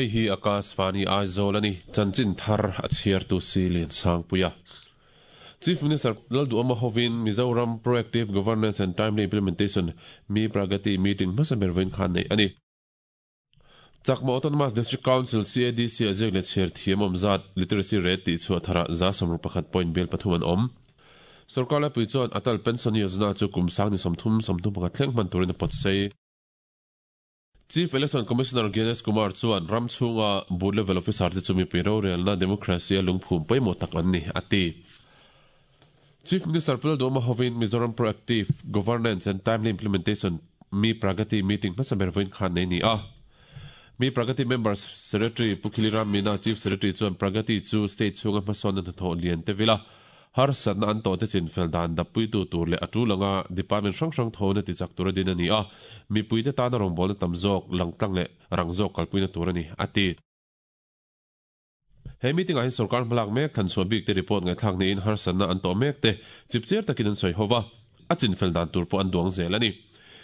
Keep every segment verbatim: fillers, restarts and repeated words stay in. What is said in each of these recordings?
Hei hi Akashvani Aizawl ani chanchin thar a chhiar tu si Lian Sangpuia. Chief Minister Lalduhoma hovin Mizoram Proactive Governance and Timely Implementation Mi Pragati meeting hmasa ber vawiin khan nei ani. Chakma Autonomous District Council C A D C a ziak leh chhiar thiam awm zat literacy rate tih chhuah tharah za sawmruk pakhat point bel pathum an awm. Sorkar laipui chuan Atal Pension Yojana chu kum sang ni sawmthum sawmthum pakhat thleng hman turin a pawt sei. Chief Election Commissioner Gyanesh Kumar chuan ram chhunga booth level officer te chu mipui rorelna democracy a lungphum pawimawh tak an ni, a ti. Chief Minister Pu Lalduhoma hovin Mizoram Proactive Governance and Timely Implementation Mi Pragati meeting hmasa ber vawiin khan nei ni a. Mi Pragati Members Secretary Pu Khiliram Meena Chief Secretary chuan Pragati chu state chhunga hmasawnna hnathawh lian te vila harsatna an tawh te chinfel dan dappuitu tur leh a tul anga department hrang hrang thawhna tichak tur a din a ni a, mipuite tana rawngbawlna tam zawk, langtlang leh rang zawk kalpuina tur a ni, a ti. He meeting-ah hian sorkar hmalak mek thanchhuah bik te report ngaihthlak niin harsatna an tawh mek te chipchiar takin an sawi ho va, a chinfel dan tur pawh an duang zel a ni.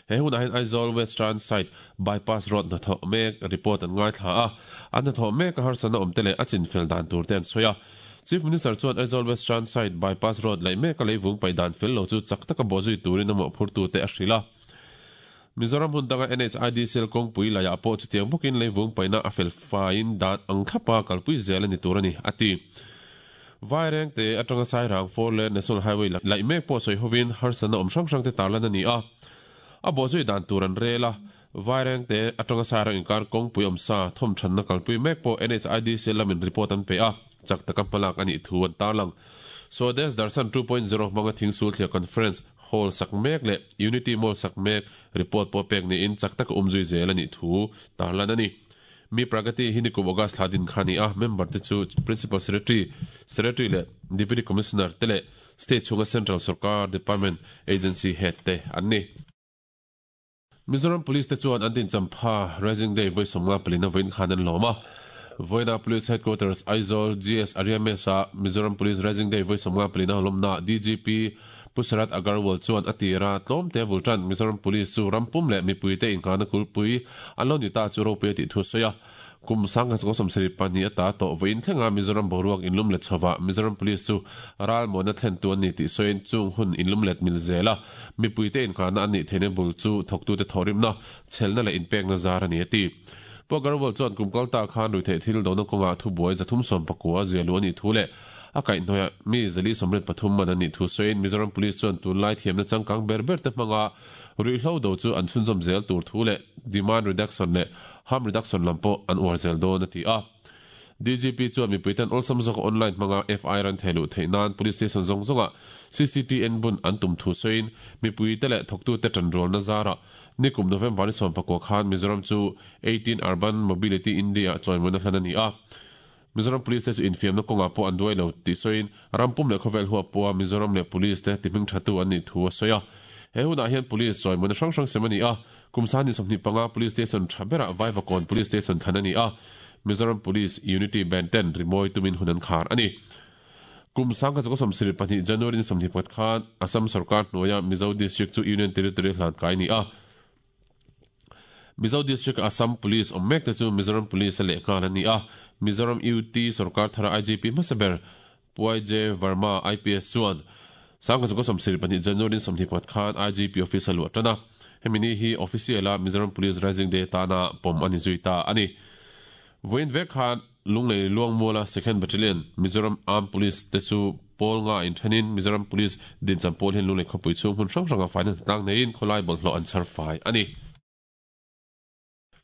He hunah hian Aizawl Western Side Bypass Road hnathawh mek report an ngaithla a, an hnathawh mek a harsatna awm te leh a chinfel dan tur te an sawi a. Chief Minister chuan Aizawl Western Side Bypass Road laih mek a leivung paih dan fel lo chu chak taka bawhzui turin a mawhphurtu te a hrilh a. Mizoram hmun danga N H I D C L kawngpui laiah pawh chutiang bawkin leivung paihna a fel faiin dan ang thlapa kalpui zel a ni tur a ni, a ti. Vairengte atanga Sairang four lane National Highway laih mek pawh sawi hovin harsatna awm hrang hrang te tarlan a ni a. A bawhzui dan tur an rel a, Vairengte atanga Sairang inkar kawngpui awmsa thawmthanna kalpui mek pawh N H I D C L lamin report an pe a, chak taka hmalak a nih thu an tarlang. Swadesh Darshan two point zero hmanga Thingsul Thliah Conference Hall sak mek leh Unity Mall sak mek report pawh pek niin chak taka umzui zel a nih thu tarlan a ni. Mi Pragati hi nikum August thla din kha a ni a, member te chu Principal Secretary, Secretary leh Deputy Commissioner te leh State chhunga Central Sarkar Department Agency Head te an ni. Mizoram Police te chuan an dinchampha Rising Day vawi sawmnga palina vawiin khan an lawm a. Vawiina Police Headquarters Aizawl G S Arya Mess-a Mizoram Police Rising Day vawi sawmnga palina lawmna D G P Pu Sharad Agarwal chuan a tira tlawmte bul tan Mizoram Police chu rampum leh mipuite inghahna kulpui an lo ni ta chu ropui a tih thu a sawi a. Kum sangha chunga sawmsarih pahnih ata tawh vawiin thlenga Mizoram boruak inlum let chhovah Mizoram Police chu ralmuana thlentu an ni tih sawiin chung hun inlum let mil zel a, mipuite inghahna an nih theihna bul chu thawktute thawhrimna, chhelna leh inpekna zar a ni a ti. Pu Agarwal chuan kum kal ta khan ruihtheih thil dona kawngah thubuai zathum sawm pakua zia luh a nih thu leh a kaihhnawiah mi zali sawmriat pathum man an nih thu sawiin Mizoram Police chuan tunlai thiamna changkang ber ber te hmanga ruihhlo do chu an chhunzawm zel tur thu leh demand reduction leh harm reduction lam pawh an uar zel dawn a ti a. D G P chuan mipuiten awlsam zawka online hmanga F I R an thei luh theih nan Police Station zawng zawngah C C T N bun an tum thu sawiin mipuite leh thawktute tanrualna zarah nikum November ni sawm pakua khan Mizoram chu eighteen Urban Mobility India chawimawina hlan a ni a. Mizoram Police te chu infiamna kawngah pawh an duai lo tih sawiin rampum leh khawvel huap pawha Mizoram leh Police te tihming thatu an nih thu a sawi a. He hunah hian Police chawimawina hrang hrang sem a ni a, kum sani sawmhnih panga Police Station tha berah Vaivakawn Police Station thlan a ni a, Mizoram Police Unity Band ten rimawi tumin hun an khar a ni. Kum sangkhat chawka sawmsarih pahnih January ni sawmhnih pakhat khan Assam sarkar hnuaia Mizo District chu Union Territory hlan kai a ni a. Mizo District Assam Police awm mek te chu Mizoram Police a leh nghal a ni a. Mizoram U T sarkar thara I G P hmasa ber Pu I J Verma I P S chuan sangkhat chawka sawmsarih pahnih January ni sawmhnih pakhat khan I G P office a luah tan a. Hemi ni hi official a Mizoram Police Rising Day tana pawm a ni zui ta a ni. Vawiin vek khan Lunglei Luangmuala Second Battalion Mizoram Armed Police te chu pawl nga inthenin Mizoram Police dincham pawl hian Lunglei khawpui chhung hmun hrang hranga faina hnatlang neiin khawlai bawlhhlawh an chhar fai a ni.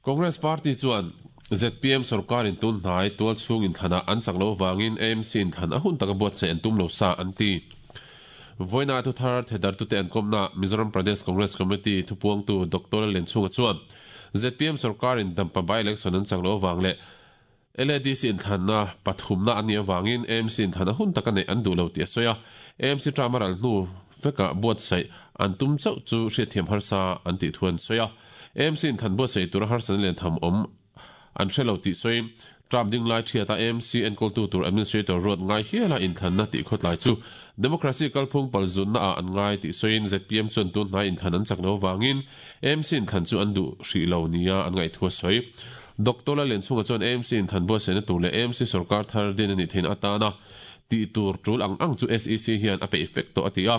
Congress Party chuan Z P M sorkarin tun hnai tual chhung inthlanah an chak lo vangin A M C inthlan a hun taka buatsaih an tum lo sa an ti. Vawiina thuthar thedartute an kawmna Mizoram Pradesh Congress Committee thupuangtu Doctor Lallianchhunga chuan Z P M sorkarin Dampa by-election an chak lo vang leh L A D C inthlanna pathumna an nih avangin A M C inthlan a hun taka neih an duh lo tih a sawi a. A M C term a ral hnu vekah buatsaih an tum chauh chu hriatthiam harsa an tih thu an sawi a. A M C inthlan buatsaih tura harsatna lian tham awm an hre lo tih sawiin term ding lai thiata A M C enkawltu tur administrator ruat ngai hiala inthlanna tih khawtlai chu democracy kalphung palzunna ah an ngai tih sawiin Z P M chuan tun hnai inthlan an chak lo avangin A M C inthlan chu an duh hrih lo nia an ngaih thu a sawi. Doctor Lallianchhunga chuan A M C in than buatsaihna tur leh A M C sarkar thar din ani thein atana ti tur tul ang ang chu S E C hian a pe effect to ati a.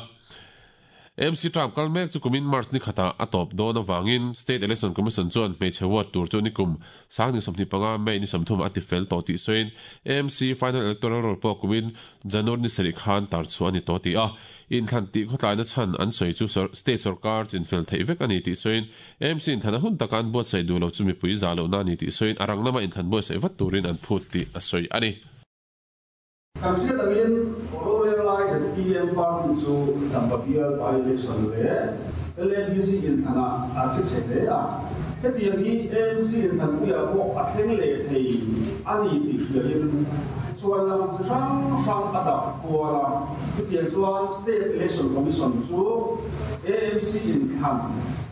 A M C term kal mek chu kumin March ni khata a top dawn awangin State Election Commission chuan hmeichhe vote tur chu nikum sangni sawmhnih panga May ni sawmthum a ti fel tawh tih sawiin A M C final electoral roll pawh kumin January ni sarih khan tar chu ani tawh ti a. Inthlan tih khawtlaina chhan an sawi chu state sarkar chinfel theih vek ani tih sawiin A M C inthlan a hun taka an buatsaih duh lo chu mipui za lohna ani tih sawiin a rang lama inthlan buatsaih vat turin an phut tih a sawi ani. Kan hriat angin rorel lai Z P M party chu Dampa bial by-election leh L A D C inthlana a che chhe hle a. Hetiang hi A M C inthlan puiah pawh a thleng leh thei ani tih hriain chuan lam chi hrang hrang a dap kual a. Hetiang chuan State Election Commission chu A M C inthlan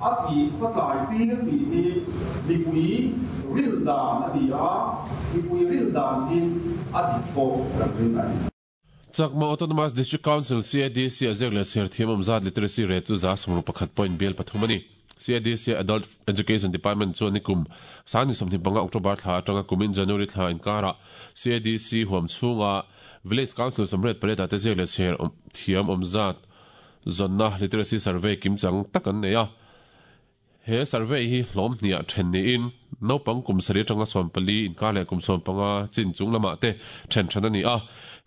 a tih khawtlai tir tih hi mipui rin dan a ni a, mipui rin dan hi a dik pawh kan rin ani. Chakma Autonomous District Council C A D C a ziak leh chhiar thiam awm zat literacy rate chu za sawmruk pakhat point bial pathum ani. C A D C Adult Education Department chuan nikum sangni sawmhnih panga October thla atanga kumin January thla inkara C A D C huam chhunga Village Council sawmriat pariat ah te ziak leh chhiar thiam awm zat zawnna literacy survey kimchang tak an nei a. He survey hi hlawm hniah then niin naupang kum sarih atanga sawm pali inkar leh kum sawm panga chin chung lamah te then than ani a.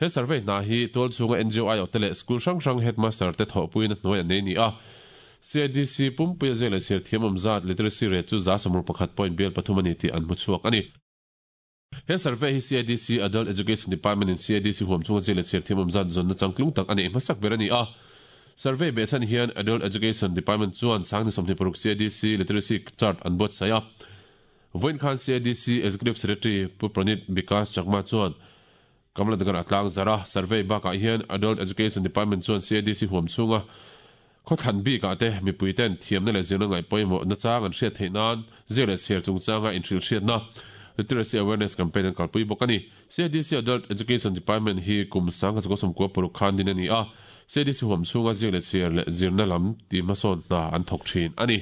He survey hna hi tual chhunga N G O I O te leh school hrang hrang headmaster te thawhpuiin a hnuai an nei ni a. C A D C pumpui a ziak leh chhiar thiam awm zat literacy rate chu za sawmruk pakhat point bial pathum ani tih an hmu chhuak ani. He survey hi C A D C Adult Education Department in C A D C huam chhunga ziak leh chhiar thiam awm zat zawnna changtlung tak ani hmasak ber ani a. Survey behchhan hian Adult Education Department chuan sangni sawmhnih paruk C A D C literacy chart an buatsaih a. Vawiin khan C A D C Executive Secretary Pu Pranit Bikash Chakma chuan Kamlanagar atlang zara survey bakah hian Adult Education Department chuan C A D C huam chhunga khawthlan bikah te mipui ten thiamna leh zirna ngaih pawimawh na chang an hriat theih nan ziak leh chhiar chungchanga inhrilh hriatna literacy awareness campaign an kalpui bawk ani. C A D C Adult Education Department hi kum sangkhat sakhaw sawmkua paruk khan din ani a. C A D C huam chhunga ziak leh chhiar leh zirna lam tih hmasawn hna an thawk thin ani.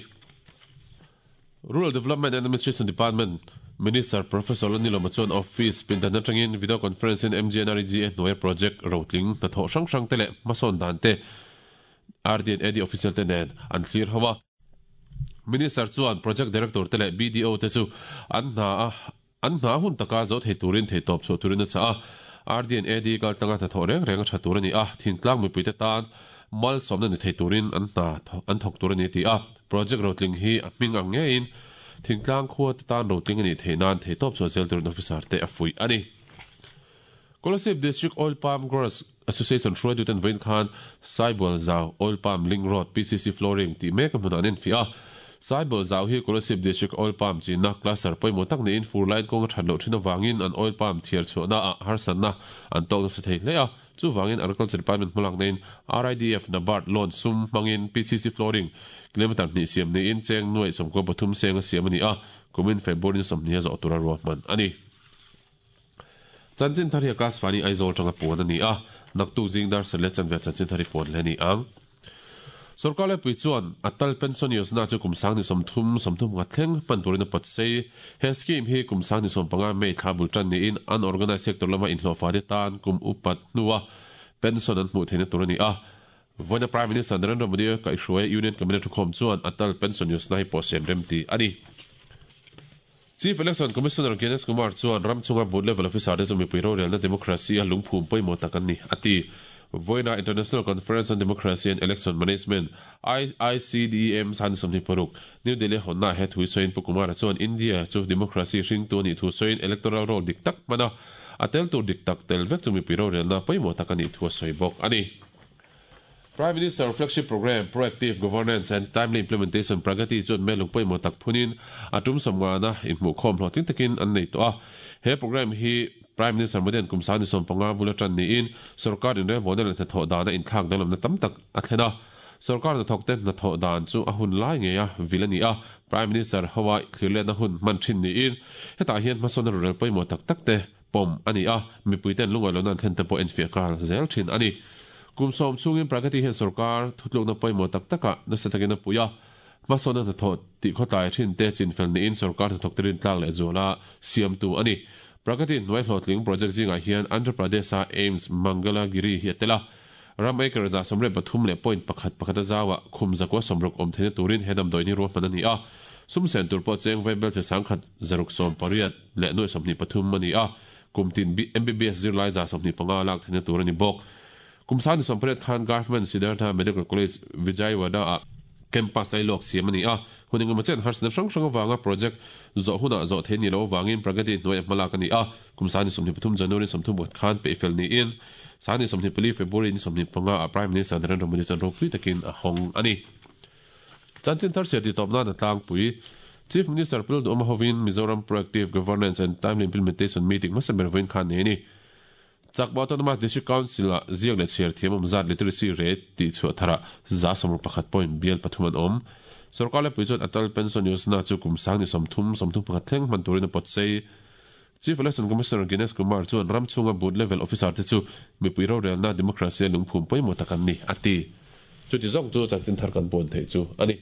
Rural Development and Administration Department Minister Professor Lalnilawma chuan office pindan atangin video conference in M G N R E G A hnuaia project rotling hnathawh hrang hrang te leh hmasawn dan te R D and A D official te nen an thlir ho a. Minister chuan project director te leh B D O te chu an hna a an hna hun taka zo thei turin thei tawp chhuah turin a chah a. R D and A D kaltlanga hnathawh reng reng a tha tur ani a. Thintlang mipui te tan mal sawmna ni thei turin an hna an thawk tur ani ti a. Project rotling hi a hming ang ngein thintlang khua te tan rotling ani thei nan thei tawp chhuah zel turin officer te a fui ani. Kolasib District Oil Palm Growers Association hruai duten vawiin khan Saibawlh Zau Oil Palm Link Road P C C flooring tih mek a hmunah an infiah a. Saibawlh Zau hi Kolasib District Oil Palm chinna cluster pawimawh tak niin fur line kawng a that loh thin awangin an oil palm thiar chhuahna ah harsatna an tawk nasa thei hle a. Chuwangin Agriculture Department hmalak nein R I D F NABARD loan sum hmangin P C C flooring kilometer hnih siam niin cheng nuai sawmkua pathum seng a siam ani a. Kumin February ni sawmhnih a zawh tura ruahman ani. Chanchin thar hi a class fani Aizawl tanga puan ani a. Naktuk zing dar sar leh chanve chanchin thar hi puan hle ani ang. Sarkar le pui chuan Atal Pension Yojana chu kum sangni sawmthum sawmthum nga thleng hman turin a pawt sei. He scheme hi kum sangni sawm panga May thla bul tan niin unorganized sector lama inhlawhfa te tan kum upat hnuwa pension an hmuh theihna tur ani a. Vawiina Prime Minister Narendra Modi kaihhruai Union Cabinet thukhawm chuan Atal Pension Yojana hi pawh siam rem ti ani. Chief Election Commissioner Gyanesh Kumar chuan ramchunga booth level officer te chu mipui rorelna democracy a lungphum pawimawh tak an ni ati. Vawiina International Conference on Democracy and Election Management I I C D E M sangni sawmhnih paruk New Delhi honna he thui sawiin Pu Kumar chuan India chu democracy hring tu ani thu sawiin electoral roll dik tak hmana a tel tur dik tak tel vek chu mipui rorelna pawimawh tak ani thu a sawi bawk ani. Prime Minister Flagship Program Proactive Governance and Timely Implementation Pragati chuan melung pawimawh tak phunin a tum sawmngana inhmuh khawm hlawhtling takin an nei tawh a. He program hi Prime Minister Modi an kum sangni sawm panga bula tan niin sarkar in rem model hnathawh dana inthlak danglamna tam tak a thlen a. Sarkar hnathawk te hnathawh dan chu a hun lai ngei a vil ani a. Prime Minister hawa thlirletna hun hman thin niin hetah hian hmasawn rorel pawimawh tak tak te pawm ani a. Mipui ten lungawi lohna an thlen te pawh enfiah nghal zel thin ani. Kum sawm chungin Pragati hian sarkar thutlukna pawimawh tak takah nasa takin a pui a. Hmasawnna hnathawh tih khawtlai thin te chinfel niin sorkar hnathawk te rintlak leh zuala siamtu a ni. Pragati hnuai hlawhtling project zingah hian Andhra Pradesh-a AIIMS Mangalagiri hi a tel a. Ram acre za sawmriat pathum leh point pakhat pakhat a zauah khum zakua sawmruk awm theihna turin he damdawi hi ruahman a ni a. Sum sen tur pawh cheng vaibelchhe sangkhat zaruk sawm pariat leh nuai sawmhnih pathum a ni a. Kum tin M B B S zirlai za sawmhnih panga lak theihna tur a ni bawk. Kum sangni sawmpariat khan Government Siddhartha Medical College Vijayawada-ah campus lailawk siam a ni a. Hun engemaw chen harsatna hrang hrang avanga project zawh hunah zawh theih a nih loh avangin Pragati hnuaiah hmalak a ni a. Kum sangni sawmhnih pathum January sawmthum pakhat khan peihfel niin sangni sawmhnih pali February ni sawmhnih panga ah Prime Minister Narendra Modi chuan ropui takin a hawng a ni. Chanchin thar chhiar titawp nan a tlangpui. Chief Minister Pu Lalduhawma hovin Mizoram Proactive Governance and Timely Implementation Meeting hmasa ber vawiin khan nei a ni. Chakma Autonomous District Council-ah ziak leh chhiar thiam awm zat literacy rate tih chhuah tharah za sawmruk pakhat point bial pathum an awm. Sorkar lepui chuan Atal Pension Yojana chu kum sang ni sawmthum sawmthum pakhat thleng hman turin a pawt sei. Chief Election Commissioner Dinesh Kumar chuan ram chhunga booth level officer te chu mipui rorelna democracy-a lungphum pawimawh tak an ni, a ti. Chuti zawk chu chanchin thar kan puan theih chu a ni.